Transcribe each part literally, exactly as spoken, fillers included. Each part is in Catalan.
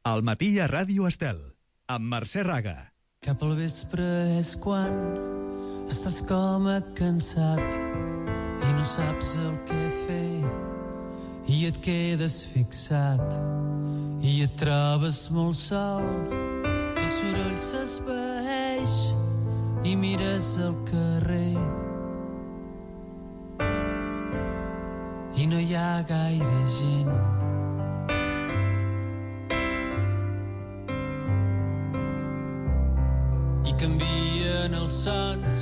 Al matí a Ràdio Estel, amb Mercè Raga. Cap al vespre és quan estàs com a cansat i no saps el que fer i et quedes fixat i et trobes molt sol. El soroll s'esvaeix i mires al carrer i no hi ha gaire gent. I canvien els sons.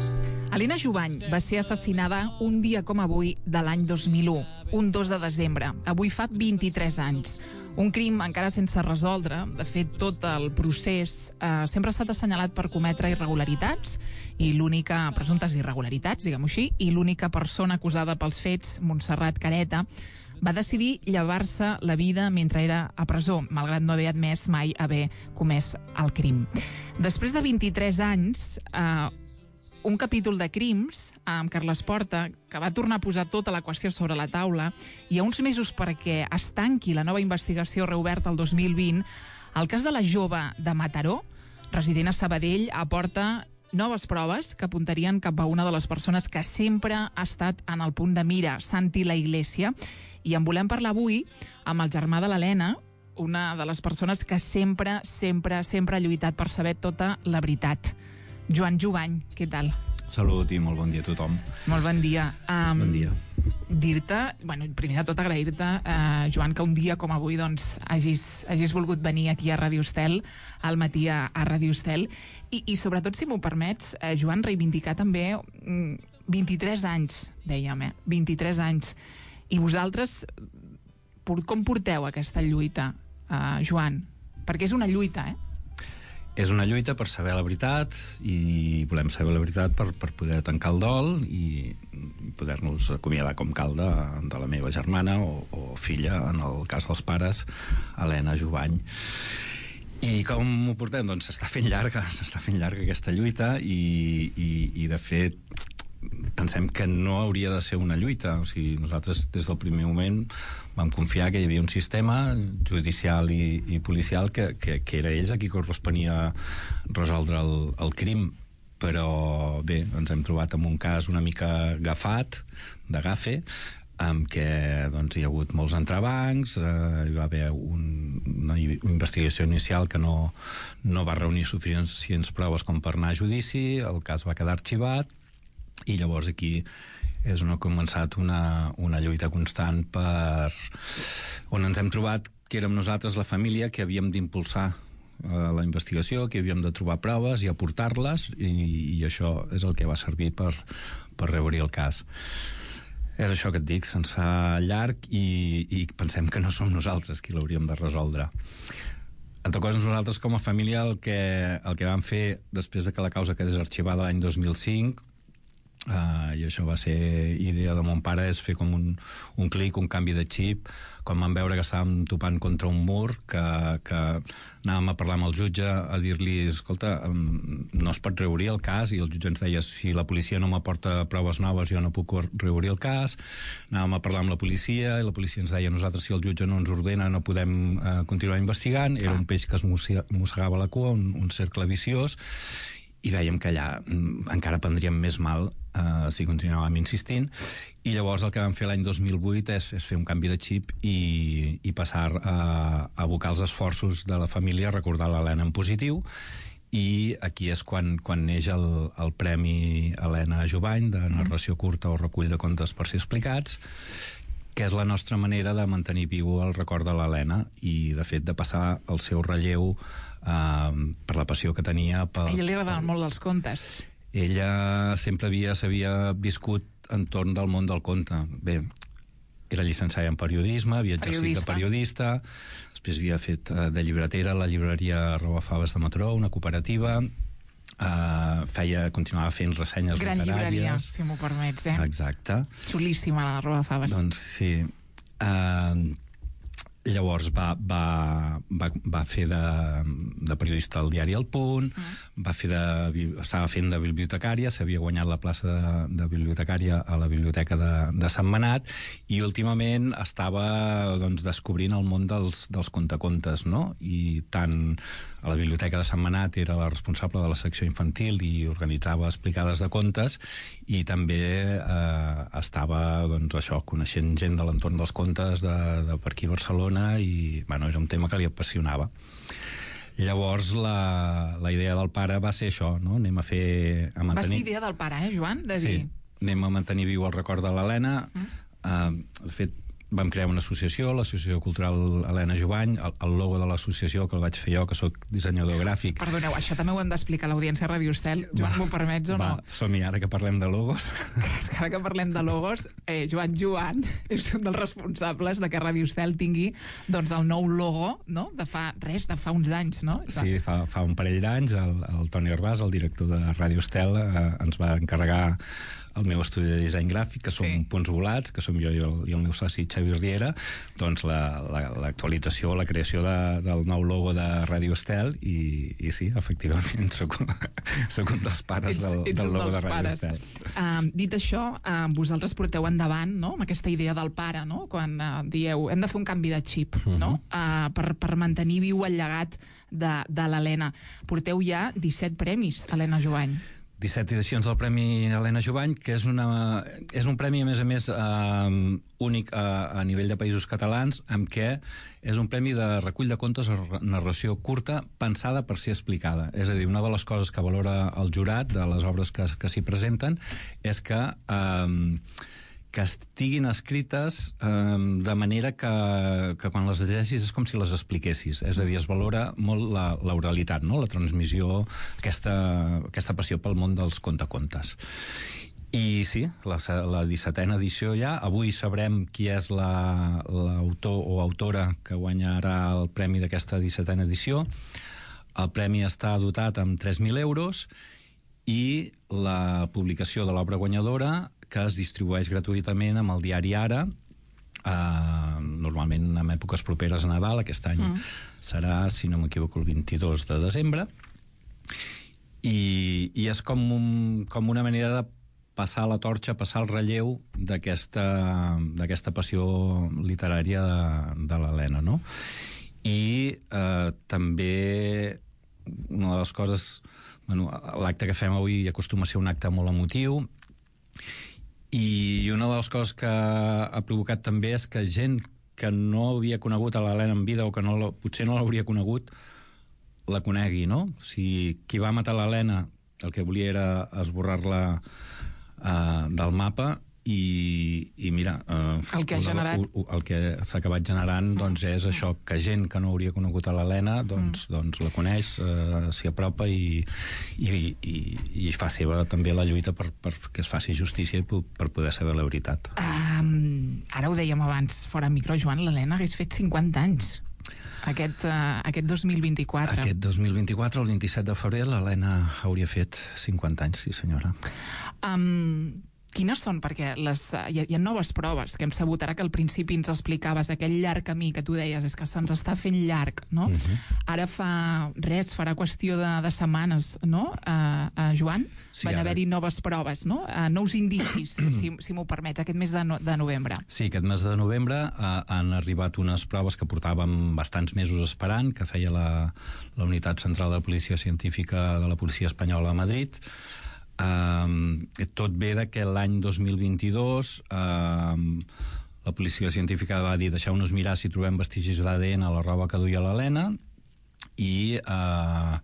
Elena Jubany va ser assassinada un dia com avui de l'any dos mil u, un dos de desembre. Avui fa vint-i-tres anys. Un crim encara sense resoldre. De fet, tot el procés eh, sempre ha estat assenyalat per cometre irregularitats i l'única, presumptes irregularitats, diguem-ho així, i l'única persona acusada pels fets, Montserrat Careta, va decidir llevar-se la vida mentre era a presó, malgrat no haver admès mai haver comès el crim. Després de vint-i-tres anys, eh, un capítol de crims amb Carles Porta, que va tornar a posar tota la qüestió sobre la taula, i a uns mesos perquè es tanqui la nova investigació reoberta el dos mil vint, el cas de la jove de Mataró, resident a Sabadell, aporta noves proves que apuntarien cap a una de les persones que sempre ha estat en el punt de mira, Santi La Iglesia, i en volem parlar avui amb el germà de l'Helena, una de les persones que sempre, sempre, sempre ha lluitat per saber tota la veritat. Joan Jubany, què tal? Salut i molt bon dia a tothom. Molt bon dia. Um, bon dia. Dir-te, bueno, primer de tot agrair-te, uh, Joan, que un dia com avui doncs, hagis, hagis volgut venir aquí a Ràdio Estel, al matí a, a Ràdio Estel, i, i sobretot, si m'ho permets, uh, Joan, reivindicar també um, vint-i-tres anys, dèiem, eh? vint-i-tres anys. I vosaltres, com porteu aquesta lluita, uh, Joan? Perquè és una lluita, eh? És una lluita per saber la veritat i volem saber la veritat per, per poder tancar el dol i poder-nos acomiadar com cal de, de la meva germana o, o filla, en el cas dels pares, Helena Jubany. I com ho portem? Doncs s'està fent llarga, s'està fent llarga aquesta lluita i, i, i de fet pensem que no hauria de ser una lluita. O sigui, nosaltres des del primer moment vam confiar que hi havia un sistema judicial i, i policial que, que, que era ells a qui corresponia resoldre el, el crim, però bé, ens hem trobat amb un cas una mica agafat, de gafe, amb què doncs, hi ha hagut molts entrebancs, eh, hi va haver un, una investigació inicial que no, no va reunir suficients proves com per anar a judici, el cas va quedar arxivat, i llavors aquí és on ha començat una, una lluita constant per on ens hem trobat que érem nosaltres la família que havíem d'impulsar eh, la investigació, que havíem de trobar proves i aportar-les i, i això és el que va servir per, per reobrir el cas. És això que et dic, se'ns fa llarg i, i pensem que no som nosaltres qui l'hauríem de resoldre. En tot cas, nosaltres com a família el que, el que vam fer després de que la causa quedés arxivada l'any dos mil cinc, Uh, i això va ser idea de mon pare, és fer com un, un clic, un canvi de xip, quan vam veure que estàvem topant contra un mur, que, que anàvem a parlar amb el jutge, a dir-li, escolta, um, no es pot reobrir el cas, i el jutge ens deia, si la policia no m'aporta proves noves jo no puc reobrir el cas. Anàvem a parlar amb la policia i la policia ens deia, nosaltres si el jutge no ens ordena no podem uh, continuar investigant. Era un peix que es mossegava la cua, un, un cercle viciós, i vèiem que allà mm, encara prendríem més mal eh, si continuàvem insistint, i llavors el que vam fer l'any dos mil vuit és, és fer un canvi de xip i, i passar a, a abocar els esforços de la família a recordar l'Helena en positiu, i aquí és quan, quan neix el, el Premi Helena Jubany de narració curta o recull de contes per ser explicats, que és la nostra manera de mantenir viu el record de l'Helena i, de fet, de passar el seu relleu Uh, per la passió que tenia per, a ella li agradaven per... molt dels contes. Ella sempre havia s'havia viscut entorn del món del conte. Bé, era llicenciada en periodisme, havia exercit periodista. de periodista, després havia fet uh, de llibretera a la llibreria Robafaves de Mataró, una cooperativa, uh, feia, continuava fent ressenyes gran literàries. Gran llibreria, si m'ho permets, eh? Exacte. Xulíssima la Robafaves. Doncs sí. Uh, Llavors va, va, va, va fer de, de periodista al diari El Punt, mm. va fer de, estava fent de bibliotecària, s'havia guanyat la plaça de, de bibliotecària a la Biblioteca de, de Sant Manat, i últimament estava doncs, descobrint el món dels, dels contacontes, no? I tant a la Biblioteca de Sant Manat era la responsable de la secció infantil i organitzava explicades de contes, i també eh, estava doncs, això, coneixent gent de l'entorn dels contes de, de per aquí a Barcelona, i bueno, era un tema que li apassionava. Llavors la, la idea del pare va ser això, no? Anem a fer... A mantenir... Va ser idea del pare, eh, Joan? De dir... Sí, anem a mantenir viu el record de l'Helena. Mm. Uh, de fet, vam crear una associació, l'Associació Cultural Helena Jubany. El, el logo de l'associació, que el vaig fer jo, que sóc dissenyador gràfic. Perdoneu, això també ho hem d'explicar a l'audiència a Radio Estel. Joan, m'ho permets o no? Va, som-hi ara que parlem de logos. És que ara que parlem de logos, eh, Joan Joan és un dels responsables de que Radio Estel tingui doncs, el nou logo, no? De fa res, de fa uns anys, no? Sí, fa, fa un parell d'anys el, el Toni Arbàs, el director de Radio Estel, eh, ens va encarregar el meu estudi de disseny gràfic, que som sí. Punts Volats, que som jo i el, i el meu soci Xavi Riera, doncs l'actualització, la, la, la creació de, del nou logo de Radio Estel, i, i sí, efectivament, soc, soc un dels pares del, ets, del logo de Radio pares. Estel. Uh, dit això, uh, vosaltres porteu endavant, no?, amb aquesta idea del pare, no?, quan uh, dieu, hem de fer un canvi de xip, uh-huh. no?, uh, per, per mantenir viu el llegat de, de l'Helena. Porteu ja disset premis, Helena Jubany. disset edicions del Premi Helena Jubany, que és, una, és un premi, a més a més, eh, únic a, a nivell de països catalans, amb què és un premi de recull de contes o narració curta pensada per ser explicada. És a dir, una de les coses que valora el jurat de les obres que, que s'hi presenten és que eh, que estiguin escrites eh, de manera que, que quan les llegeixis és com si les expliquessis. És a dir, es valora molt la, l'oralitat, no? La transmissió, aquesta, aquesta passió pel món dels contacontes. I sí, la, la dissetena edició ja. Avui sabrem qui és la, l'autor o autora que guanyarà el premi d'aquesta dissetena edició. El premi està dotat amb tres mil euros i la publicació de l'obra guanyadora, que es distribueix gratuïtament amb el diari Ara, eh, normalment en èpoques properes a Nadal. Aquest any mm. serà, si no m'equivoco, el vint-i-dos de desembre, i, i és com, un, com una manera de passar la torxa, passar el relleu d'aquesta, d'aquesta passió literària de, de l'Helena, no? I eh, també una de les coses... Bueno, l'acte que fem avui acostuma a ser un acte molt emotiu, i una de les coses que ha provocat també és que gent que no havia conegut a l'Helena en vida o que no, potser no l'hauria conegut la conegui, no? O sigui, qui va matar l'Helena el que volia era esborrar-la uh, del mapa, i, i mira, uh, el que ha generat el, el que s'ha acabat generant mm. doncs és això, que gent que no hauria conegut a l'Helena doncs, mm. doncs la coneix, uh, s'hi apropa i, i, i, i fa seva també la lluita per, per que es faci justícia i per poder saber la veritat. Um, ara ho dèiem abans, fora micro, Joan, l'Helena hagués fet cinquanta anys. Aquest, uh, aquest dos mil vint-i-quatre. Aquest dos mil vint-i-quatre, el vint-i-set de febrer, l'Helena hauria fet cinquanta anys, sí senyora. Um, quines són? Perquè les, hi, ha, hi ha noves proves que hem sabut ara, que al principi ens explicaves aquell llarg camí que tu deies, és que se'ns està fent llarg, no? Uh-huh. Ara fa res, farà qüestió de, de setmanes, no? Uh, uh, Joan, sí, van haver-hi noves proves, no? Uh, nous indicis, si, si m'ho permets, aquest mes de, no, de novembre. Sí, aquest mes de novembre uh, han arribat unes proves que portàvem bastants mesos esperant, que feia la, la Unitat Central de Policia Científica de la Policia Espanyola a Madrid. Uh, tot ve de que l'any dos mil vint-i-dos uh, la policia científica va dir deixeu-nos mirar si trobem vestigis d'A D N a la roba que duia l'Helena, i uh,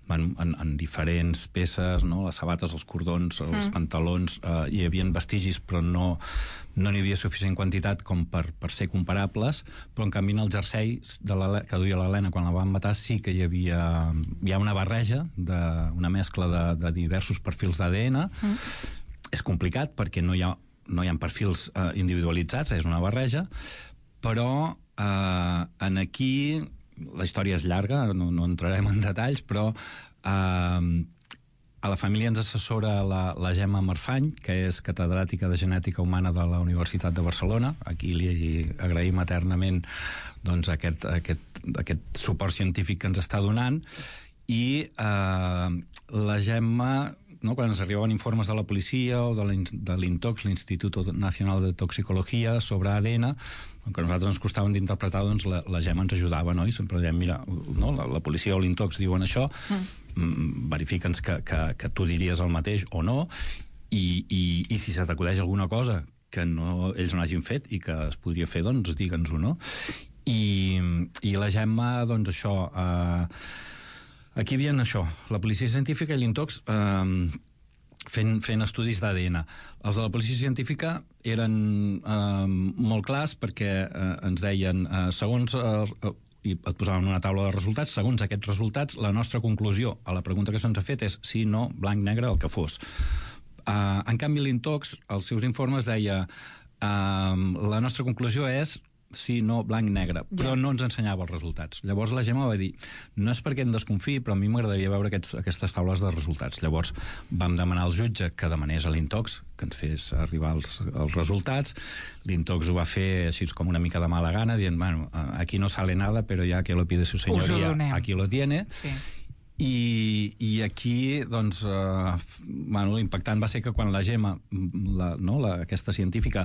bueno, en, en diferents peces, no? Les sabates, els cordons, els mm. pantalons, uh, hi havia vestigis, però no no n'hi havia suficient quantitat com per, per ser comparables, però en canvi en el jersei de la, que duia l'Helena quan la van matar sí que hi havia hi ha una barreja, de, una mescla de, de diversos perfils d'A D N. Mm. És complicat perquè no hi ha, no hi ha perfils eh, individualitzats, és una barreja, però eh, en aquí la història és llarga, no, no entrarem en detalls, però eh, a la família ens assessora la, la Gemma Marfany, que és catedràtica de Genètica Humana de la Universitat de Barcelona. Aquí li agraïm eternament doncs, aquest, aquest, aquest suport científic que ens està donant. I eh, la Gemma, no, quan ens arribaven informes de la policia o de l'INTOX, l'Institut Nacional de Toxicologia, sobre A D N, que a nosaltres ens costaven d'interpretar, doncs la, la Gemma ens ajudava, no? I sempre dèiem, mira, no, la, la policia o l'INTOX diuen això, mm. verifica'ns que, que, que tu diries el mateix o no, i, i, i si se t'acudeix alguna cosa que no, ells no hagin fet i que es podria fer, doncs digue'ns-ho, no? I, i la Gemma, doncs això... Eh, aquí hi havia això, la policia científica i l'INTOX eh, fent, fent estudis d'A D N. Els de la policia científica eren eh, molt clars perquè eh, ens deien, eh, segons... Eh, i et posaven una taula de resultats, segons aquests resultats, la nostra conclusió a la pregunta que se'ns ha fet és sí, no, blanc, negre, el que fos. Uh, en canvi, l'INTOX, als seus informes, deia uh, la nostra conclusió és sí, no, blanc, negre, però yeah. no ens ensenyava els resultats. Llavors la Gemma va dir, no és perquè em desconfiï, però a mi m'agradaria veure aquests, aquestes taules de resultats. Llavors vam demanar al jutge que demanés a l'INTOX que ens fes arribar els, els resultats. L'INTOX ho va fer així com una mica de mala gana, dient, bueno, aquí no sale nada, però ja que lo pide su señoría, aquí lo tiene. Sí. I, i aquí doncs eh, bueno, l'impactant va ser que quan la Gemma la, no, la, aquesta científica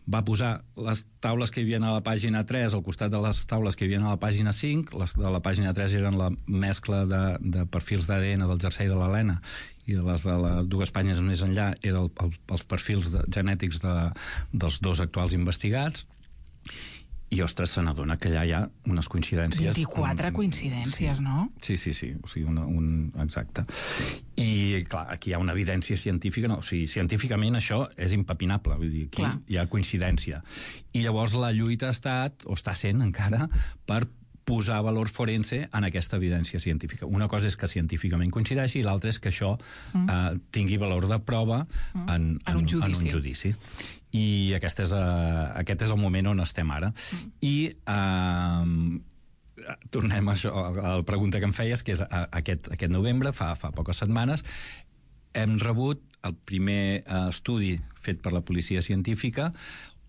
va posar les taules que hi havia a la pàgina tres al costat de les taules que hi havia a la pàgina cinc, les de la pàgina tres eren la mescla de, de perfils d'A D N del jersei de l'Helena i les de les dues pàgines més enllà eren el, el, els perfils de, genètics de, dels dos actuals investigats. I, ostres, se n'adona que allà hi ha unes coincidències... vint-i-quatre um, coincidències, sí. No? Sí, sí, sí, o sigui, una, un... exacte. I, clar, aquí hi ha una evidència científica, no, o sigui, científicament això és impepinable, vull dir, aquí clar. Hi ha coincidència. I llavors la lluita ha estat, o està sent encara, per posar valor forense en aquesta evidència científica. Una cosa és que científicament coincideixi i l'altra és que això mm. eh, tingui valor de prova mm. en, en, en, un judici. en un judici. I aquest és, uh, aquest és el moment on estem ara. Mm. I uh, tornem a això, a la pregunta que em feies, que és uh, aquest, aquest novembre, fa, fa poques setmanes, hem rebut el primer uh, estudi fet per la policia científica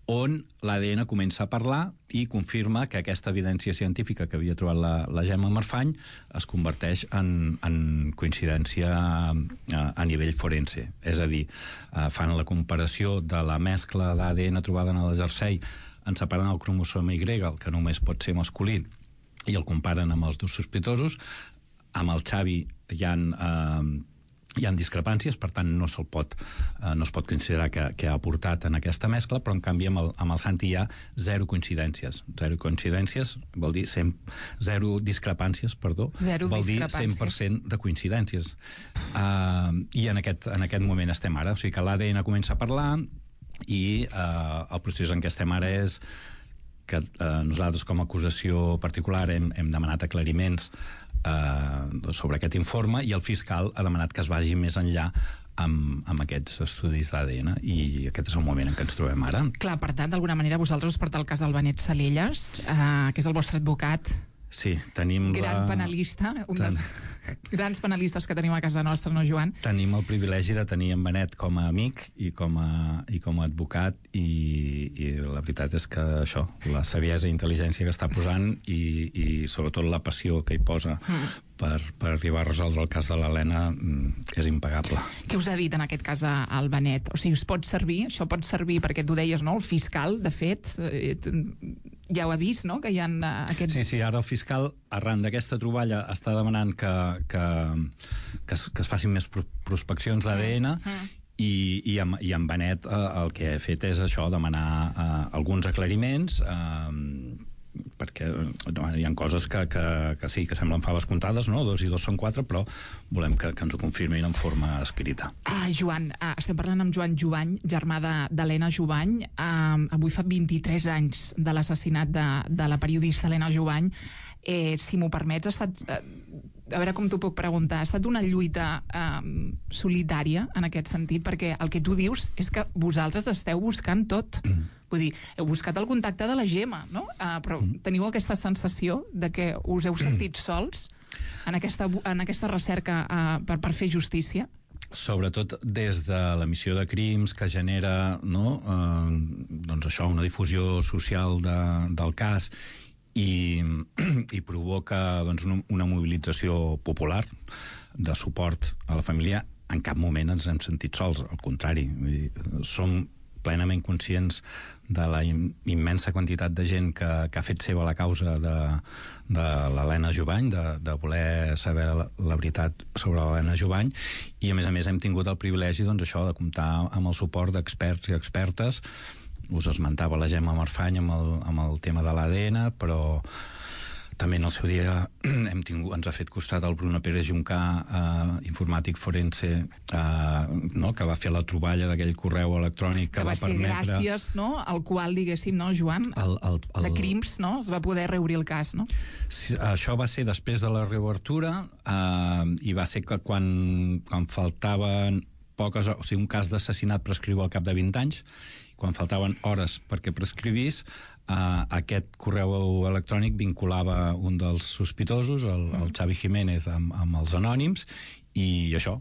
on l'A D N comença a parlar i confirma que aquesta evidència científica que havia trobat la, la Gemma Marfany es converteix en, en coincidència a, a nivell forense. És a dir, fan la comparació de la mescla d'A D N trobada en el jersei en separant el cromosoma Y, el que només pot ser masculí, i el comparen amb els dos sospitosos. Amb el Xavi hi ha... Eh, hi ha discrepàncies, per tant no se'l pot, eh, no es pot considerar que, que ha aportat en aquesta mescla, però en canvi amb el, amb el Santi hi ha zero coincidències. Zero coincidències vol dir cent, zero discrepàncies, perdó, zero vol discrepàncies. dir cent per cent de coincidències. Uh, I en aquest, en aquest moment estem ara. O sigui que l'A D N comença a parlar i uh, el procés en què estem ara és que eh, nosaltres com a acusació particular hem, hem demanat aclariments eh, sobre aquest informe i el fiscal ha demanat que es vagi més enllà amb, amb aquests estudis d'A D N i aquest és el moment en què ens trobem ara. Clar, per tant, d'alguna manera vosaltres us porteu el cas del Benet Salellas, eh, que és el vostre advocat. Sí, tenim gran la... penalista, un Ten... dels grans penalistes que tenim a casa nostra, no, Joan? Tenim el privilegi de tenir en Benet com a amic i com a, i com a advocat i, i la veritat és que això, la saviesa i intel·ligència que està posant i, i sobretot la passió que hi posa mm. per, per arribar a resoldre el cas de l'Helena és impagable. Què us ha dit en aquest cas al Benet? O sigui, us pot servir? Això pot servir perquè tu deies, no? El fiscal, de fet, eh, ja ho ha vist, no?, que hi ha aquests... Sí, sí, ara el fiscal, arran d'aquesta troballa, està demanant que, que, que, es, que es facin més prospeccions d'A D N mm. i, i, amb, i amb Benet eh, el que he fet és això, demanar eh, alguns aclariments eh, perquè no, hi ha coses que, que, que sí, que semblen faves comptades, no? Dos i dos són quatre, però volem que, que ens ho confirmin en forma escrita. Ah, Joan, ah, estem parlant amb Joan Jubany, germà d'Helena Jubany. Ah, avui fa vint-i-tres anys de l'assassinat de, de la periodista Helena Jubany. Eh, si m'ho permets, ha estat... Eh, a veure com t'ho puc preguntar, ha estat una lluita eh, solitària en aquest sentit, perquè el que tu dius és que vosaltres esteu buscant tot. Mm. Vull dir, heu buscat el contacte de la Gemma, no? Uh, però mm. teniu aquesta sensació de que us heu sentit sols en aquesta, en aquesta recerca uh, per, per fer justícia? sobretot des de l'emissió de crims que genera, no, eh, doncs això, una difusió social de, del cas i, i provoca doncs, una, una mobilització popular de suport a la família, en cap moment ens hem sentit sols, al contrari. Vull dir, som plenament conscients de la immensa quantitat de gent que, que ha fet seva la causa de, de l'Helena Jubany, de, de voler saber la, la veritat sobre l'Helena Jubany, i a més a més hem tingut el privilegi, doncs, això, de comptar amb el suport d'experts i expertes. Us esmentava la Gemma Marfany amb el, amb el tema de l'A D N, però també en el seu dia hem tingut, ens ha fet costat el Bruno Pérez Juncà, eh, informàtic forense, eh, no?, que va fer la troballa d'aquell correu electrònic que, que va, va permetre... Que va ser gràcies, no?, al qual, diguéssim, no, Joan, el, el, el... de crims, no?, es va poder reobrir el cas, no? Sí, això va ser després de la reobertura, eh, i va ser que quan, quan faltaven poques... O sigui, un cas d'assassinat prescriu al cap de vint anys, quan faltaven hores perquè prescrivís, Uh, aquest correu electrònic vinculava un dels sospitosos, el, el Xavi Jiménez, amb, amb els anònims, i això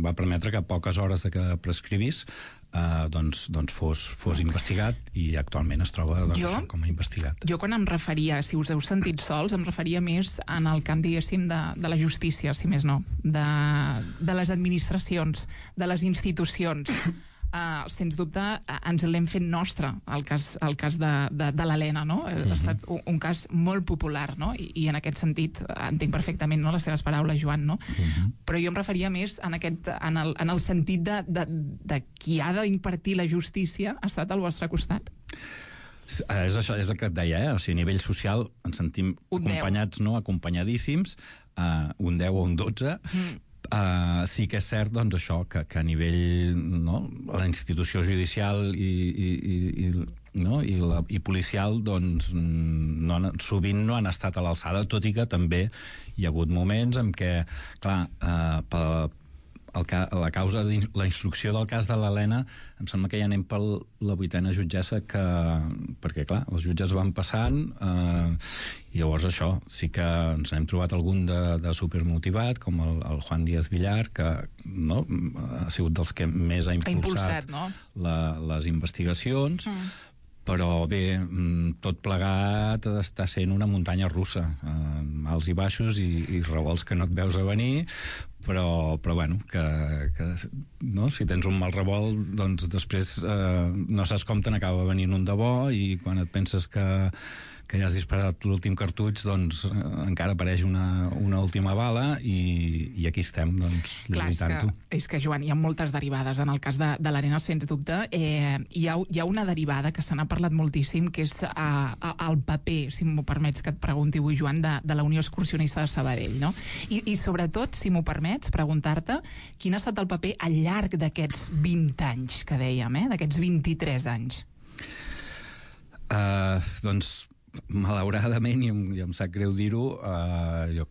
va permetre que a poques hores de que prescrivís uh, doncs, doncs fos, fos investigat, i actualment es troba doncs, jo, això, com a investigat. Jo quan em referia, si us heu sentit sols, em referia més en el camp, diguéssim, de, de la justícia, si més no, de, de les administracions, de les institucions. Uh, sens dubte, uh, ens l'hem fet nostre, el cas, el cas de, de, de l'Helena, no? Mm-hmm. Ha estat un, un cas molt popular, no? I, i en aquest sentit entenc perfectament, no?, les teves paraules, Joan, no? Mm-hmm. Però jo em referia més en, aquest, en, el, en el sentit de, de, de qui ha d'impartir la justícia ha estat al vostre costat. És això, és el que et deia, eh? O sigui, a nivell social ens sentim un acompanyats, no?, acompanyadíssims, uh, un deu o un dotze, mm. Uh, sí que és cert, doncs, això, que, que a nivell, no?, la institució judicial i, i, i, no?, i, la, i policial, doncs, no, sovint no han estat a l'alçada, tot i que també hi ha hagut moments en què, clar, uh, per el ca, la causa de la instrucció del cas de l'Helena, em sembla que ja anem per la vuitena jutgessa, que, perquè clar, els jutges van passant, eh, i llavors això, sí que ens n'hem trobat algun de, de supermotivat, com el, el Juan Díaz Villar, que, no, ha sigut dels que més ha impulsat, ha impulsat, no?, la, les investigacions, mm. però bé, tot plegat està sent una muntanya russa, eh, alts i baixos i, i revolts que no et veus a venir, però, però bueno, que, que no? Si tens un mal revolt, doncs després eh, no saps com te n'acaba venint un de bo, i quan et penses que, que ja has disparat l'últim cartutx, doncs eh, encara apareix una, una última bala, i, i aquí estem, doncs, lluitant-ho. És, és que, Joan, hi ha moltes derivades en el cas de, de l'Helena, sens dubte. Eh, hi, ha, hi ha una derivada que se n'ha parlat moltíssim, que és eh, el paper, si m'ho permets que et pregunti avui, Joan, de, de la Unió Excursionista de Sabadell, no? I, i sobretot, si m'ho permets, preguntar-te quin ha estat el paper al llarg d'aquests vint anys que dèiem, eh? D'aquests vint-i-tres anys. Uh, doncs, malauradament, i em, i em sap greu dir-ho, uh, jo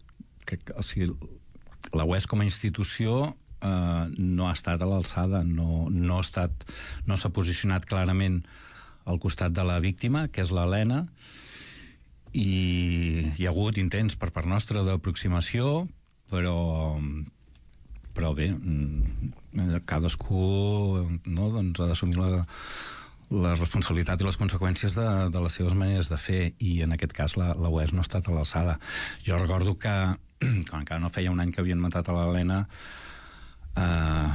crec que, o sigui, la U E S com a institució uh, no ha estat a l'alçada, no, no ha estat, no s'ha posicionat clarament al costat de la víctima, que és l'Helena, i hi ha hagut intents per part nostra d'aproximació, però però bé, cadascú, no, doncs, ha d'assumir la, la responsabilitat i les conseqüències de, de les seves maneres de fer, i en aquest cas la, la U E S no ha estat a l'alçada. Jo recordo que, quan encara no feia un any que havien matat a l'Helena, eh,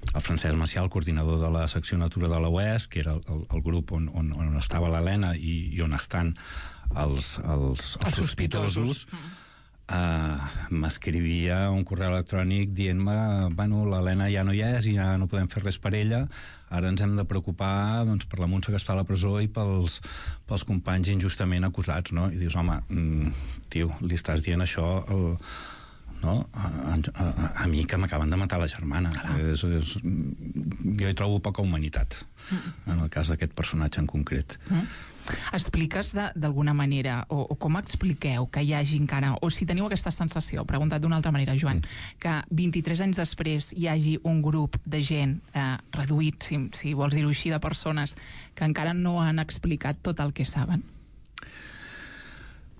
el Francesc Macià, el coordinador de la secció Natura de la U E S, que era el, el grup on, on, on estava l'Helena i, i on estan els, els, els, els sospitosos, sospitosos. Uh, m'escrivia un correu electrònic dient-me, bueno, l'Helena ja no hi és i ja no podem fer res per ella, ara ens hem de preocupar, doncs, per la Montse que està a la presó i pels, pels companys injustament acusats, no? I dius, home, mm, tio, li estàs dient això al, no? a, a, a mi que m'acaben de matar la germana. És, és, jo hi trobo poca humanitat mm. en el cas d'aquest personatge en concret. Mm. Expliques d'alguna manera, o, o com expliqueu que hi hagi encara, o si teniu aquesta sensació, preguntat d'una altra manera, Joan, mm. que vint-i-tres anys després hi hagi un grup de gent eh, reduït, si, si vols dir-ho així, de persones que encara no han explicat tot el que saben?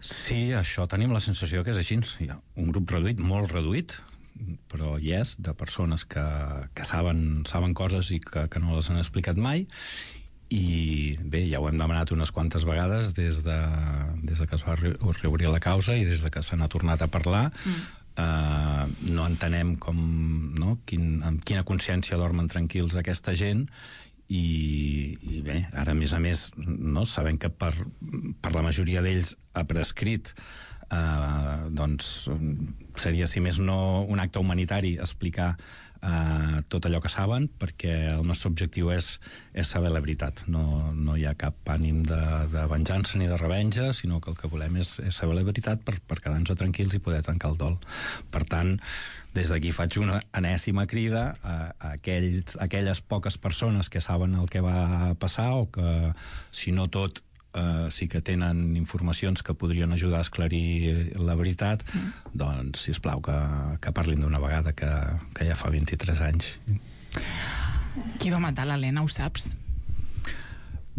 Sí, això tenim la sensació que és així. Hi ha un grup reduït, molt reduït, però hi és, de persones que, que saben, saben coses i que, que no les han explicat mai. I bé, ja ho hem demanat unes quantes vegades des de, des de que es va reobrir la causa i des de que se n'ha tornat a parlar. Mm. Uh, no entenem com, no, quin, amb quina consciència dormen tranquils aquesta gent. I, i bé, ara a més a més, no, sabem que per, per la majoria d'ells ha prescrit. Uh, doncs seria, si més no, un acte humanitari explicar uh, tot allò que saben, perquè el nostre objectiu és, és saber la veritat. No, no hi ha cap ànim de, de venjança ni de revenja, sinó que el que volem és, és saber la veritat per, per quedar-nos tranquils i poder tancar el dol. Per tant, des d'aquí faig una enèsima crida a, a, aquells, a aquelles poques persones que saben el que va passar o que, si no tot, Uh, sí que tenen informacions que podrien ajudar a esclarir la veritat, mm. doncs, sisplau, que, que parlin d'una vegada, que, que ja fa vint-i-tres anys. Qui va matar l'Helena, ho saps?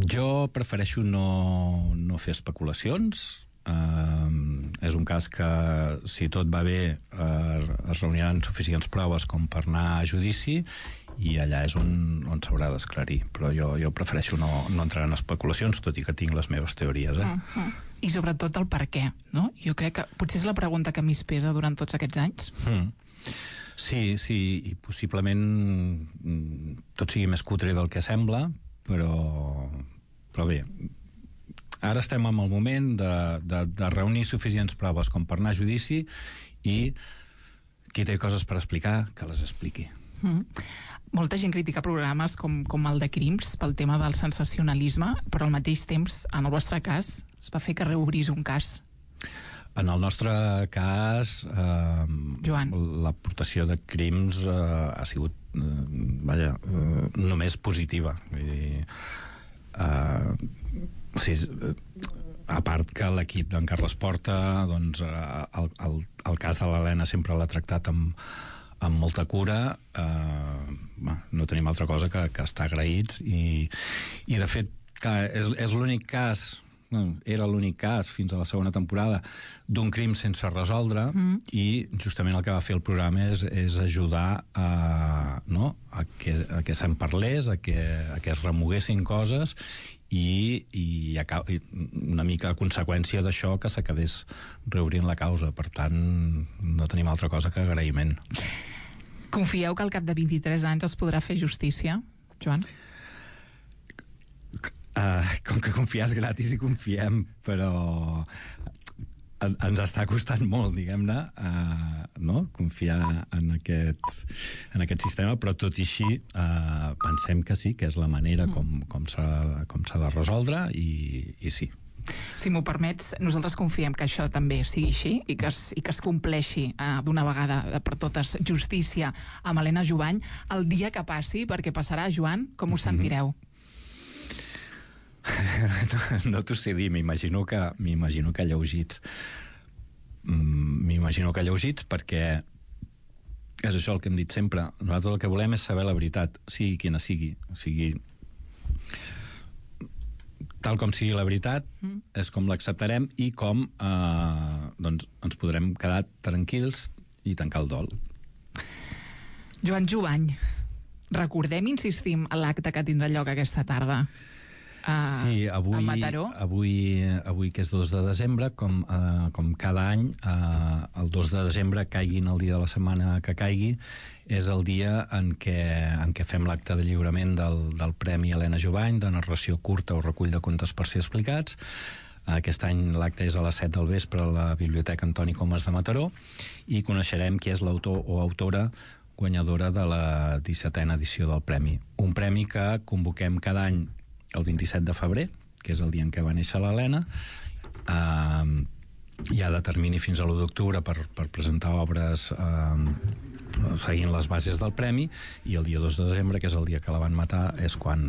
Jo prefereixo no, no fer especulacions. Uh, és un cas que, si tot va bé, uh, es reuniran suficients proves com per anar a judici, i allà és on, on s'haurà d'esclarir. Però jo, jo prefereixo no, no entrar en especulacions, tot i que tinc les meves teories. Eh? Uh -huh. I sobretot el per què, no? Jo crec que potser és la pregunta que més pesa durant tots aquests anys. Mm. Sí, sí, i possiblement tot sigui més cutre del que sembla, però, però bé, ara estem en el moment de, de, de reunir suficients proves com per anar a judici, i qui té coses per explicar, que les expliqui. Mm. Molta gent critica programes com, com el de Crims pel tema del sensacionalisme, però al mateix temps, en el vostre cas, es va fer que reobrís un cas. En el nostre cas, eh, Joan, l'aportació de Crims eh, ha sigut eh, vaja, eh, només positiva. Vull dir, eh, sí, a part que l'equip d'en Carles Porta, doncs, el, el, el cas de l'Helena sempre l'ha tractat amb amb molta cura. eh, no tenim altra cosa que, que estar agraïts, i, i de fet clar, és, és l'únic cas, no, era l'únic cas fins a la segona temporada d'un crim sense resoldre, mm. i justament el que va fer el programa és, és ajudar a, no, a que, a que se'n parlés, a que, a que es remoguessin coses, i, i, i una mica a conseqüència d'això que s'acabés reobrint la causa. Per tant, no tenim altra cosa que agraïment. Confieu que al cap de vint-i-tres anys es podrà fer justícia, Joan? Uh, com que confiar és gratis i confiem, però en, ens està costant molt, diguem-ne, uh, no? confiar en aquest, en aquest sistema, però tot i així uh, pensem que sí, que és la manera com, com s'ha com s'ha de resoldre, i, i sí. Si m'ho permets, nosaltres confiem que això també sigui així i que es, i que es compleixi eh, d'una vegada per totes justícia amb Helena Jubany. El dia que passi, perquè passarà, Joan, com us sentireu? no no t'ho sé dir, m'imagino que, m'imagino que lleugits. M'imagino que lleugits, perquè és això el que hem dit sempre. Nosaltres el que volem és saber la veritat, sigui quina sigui. O sigui, tal com sigui la veritat, mm. és com l'acceptarem i com eh, doncs ens podrem quedar tranquils i tancar el dol. Joan Jubany, recordem, insistim, l'acte que tindrà lloc aquesta tarda a, sí, avui, a Mataró. Avui, avui, que és dos de desembre, com, eh, com cada any, eh, el dos de desembre, caiguin el dia de la setmana que caigui, és el dia en què, en què fem l'acte de lliurament del, del Premi Helena Jubany, de narració curta o recull de contes per ser explicats. Aquest any l'acte és a les set del vespre a la Biblioteca Antoni Comas de Mataró, i coneixerem qui és l'autor o autora guanyadora de la dissetena edició del Premi. Un premi que convoquem cada any el vint-i-set de febrer, que és el dia en què va néixer l'Helena. Eh, hi ha de termini fins a l'u d'octubre per, per presentar obres eh, seguint les bases del premi, i el dia dos de desembre, que és el dia que la van matar, és quan,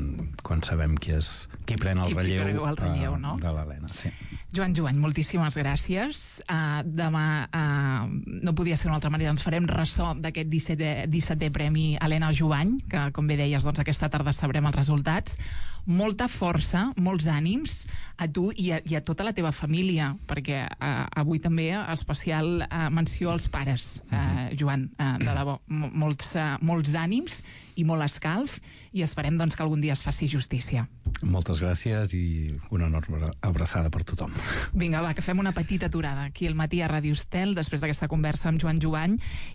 quan sabem qui és qui pren el qui, relleu, qui el relleu uh, no? de l'Helena. Sí. Joan Jubany, moltíssimes gràcies. Uh, demà uh, no podia ser d'una altra manera, ens farem ressò d'aquest dissetè, dissetè Premi Helena Jubany, que, com bé deies, doncs, aquesta tarda sabrem els resultats. molta força, molts ànims a tu i a, i a tota la teva família, perquè eh, avui també especial eh, menció als pares, eh, Joan, eh, de debò, molts, eh, molts ànims i molt escalf, i esperem doncs, que algun dia es faci justícia. Moltes gràcies i una enorme abraçada per tothom. Vinga, va, que fem una petita aturada aquí al matí a Ràdio Estel, després d'aquesta conversa amb Joan Jovany,